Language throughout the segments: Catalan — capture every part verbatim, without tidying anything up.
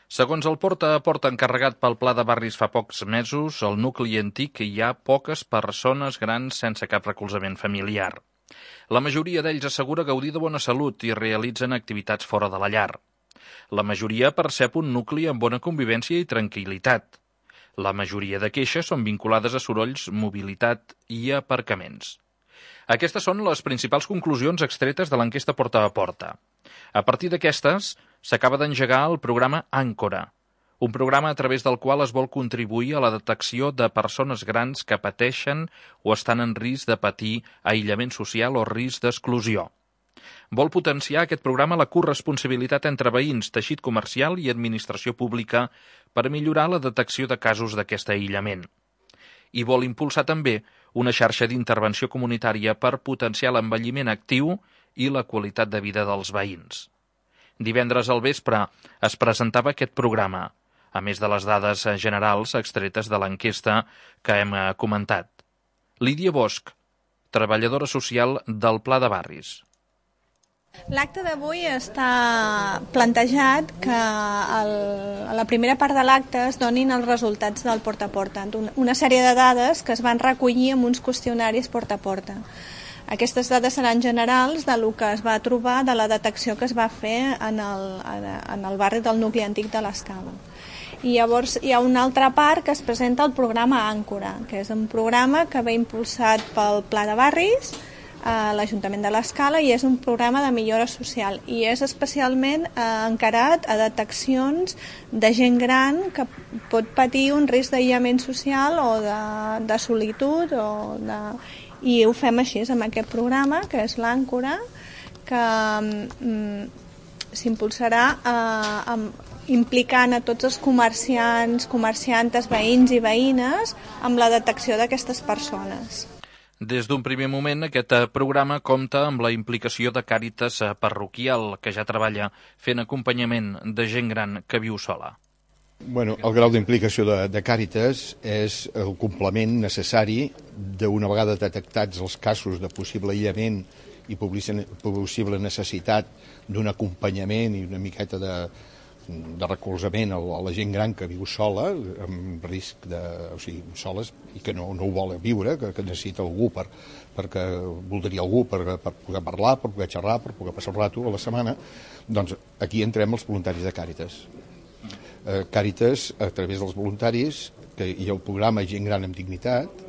Segons el porta a porta encarregat pel Pla de Barris fa pocs mesos, al nucli antic hi ha poques persones grans sense cap recolzament familiar. La majoria d'ells assegura gaudir de bona salut i realitzen activitats fora de la llar. La majoria percep un nucli amb bona convivència i tranquil·litat. La majoria de queixes són vinculades a sorolls, mobilitat i aparcaments. Aquestes són les principals conclusions extretes de l'enquesta porta a porta. A partir d'aquestes, s'acaba d'engegar el programa Àncora, un programa a través del qual es vol contribuir a la detecció de persones grans que pateixen o estan en risc de patir aïllament social o risc d'exclusió. Vol potenciar aquest programa la corresponsabilitat entre veïns, teixit comercial i administració pública per millorar la detecció de casos d'aquest aïllament. I vol impulsar també una xarxa d'intervenció comunitària per potenciar l'envelliment actiu i la qualitat de vida dels veïns. Divendres al vespre es presentava aquest programa, a més de les dades generals extretes de l'enquesta que hem comentat. Lídia Bosch, treballadora social del Pla de Barris. L'acte d'avui està plantejat que el, a la primera part de l'acte es donin els resultats del porta a porta, una sèrie de dades que es van recollir en uns qüestionaris porta a porta. Aquestes dades seran generals de lo que es va trobar de la detecció que es va fer en el, en el barri del nucli antic de l'Escala. I llavors hi ha una altra part que es presenta el programa Àncora, que és un programa que ve impulsat pel Pla de Barris, a l'Ajuntament de l'Escala, i és un programa de millora social i és especialment eh, encarat a deteccions de gent gran que pot patir un risc d'aïllament social o de, de solitud o de... i ho fem així amb aquest programa que és l'Àncora, que mm, s'impulsarà eh, amb, implicant a tots els comerciants, comerciantes, veïns i veïnes amb la detecció d'aquestes persones. Des d'un primer moment, aquest programa compta amb la implicació de Càritas parroquial, que ja treballa fent acompanyament de gent gran que viu sola. Bueno, el grau d'implicació de, de Càritas és el complement necessari d'una vegada detectats els casos de possible aïllament i possible necessitat d'un acompanyament i una miqueta de, de recolzament a la gent gran que viu sola, amb risc de... o sigui, soles, i que no, no ho vol viure, que, que necessita algú per, perquè voldria algú per, per poder parlar, per poder xerrar, per poder passar el rato a la setmana, doncs aquí entrem els voluntaris de Càritas. Eh, Càritas, a través dels voluntaris, que hi ha el programa Gent Gran amb Dignitat,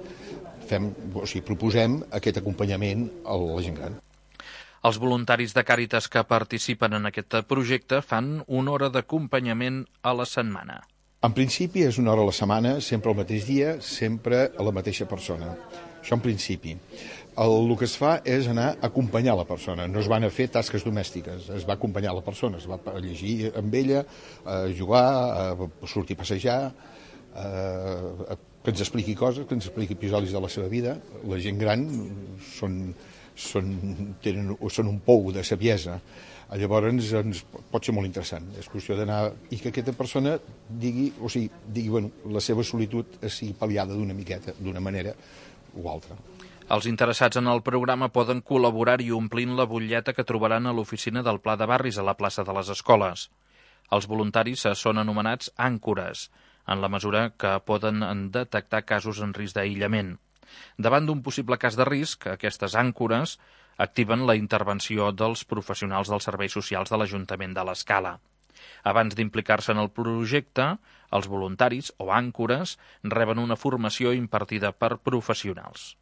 fem, o sigui, proposem aquest acompanyament a la gent gran. Els voluntaris de Càritas que participen en aquest projecte fan una hora d'acompanyament a la setmana. En principi és una hora a la setmana, sempre al mateix dia, sempre a la mateixa persona. Això en principi. El, el que es fa és anar a acompanyar la persona, no es van a fer tasques domèstiques, es va acompanyar la persona, es va a llegir amb ella, a jugar, a sortir a passejar, a, que ens expliqui coses, que ens expliqui episodis de la seva vida. La gent gran són... Són, tenen, són un pou de saviesa, llavors ens pot ser molt interessant, és qüestió d'anar i que aquesta persona digui, o sigui, digui, bueno, la seva solitud sigui pal·liada d'una miqueta, d'una manera o altra. Els interessats en el programa poden col·laborar-hi omplint la butlleta que trobaran a l'oficina del Pla de Barris a la plaça de les Escoles. Els voluntaris són anomenats àncores, en la mesura que poden detectar casos en risc d'aïllament. Davant d'un possible cas de risc, aquestes àncores activen la intervenció dels professionals dels serveis socials de l'Ajuntament de l'Escala. Abans d'implicar-se en el projecte, els voluntaris o àncores reben una formació impartida per professionals.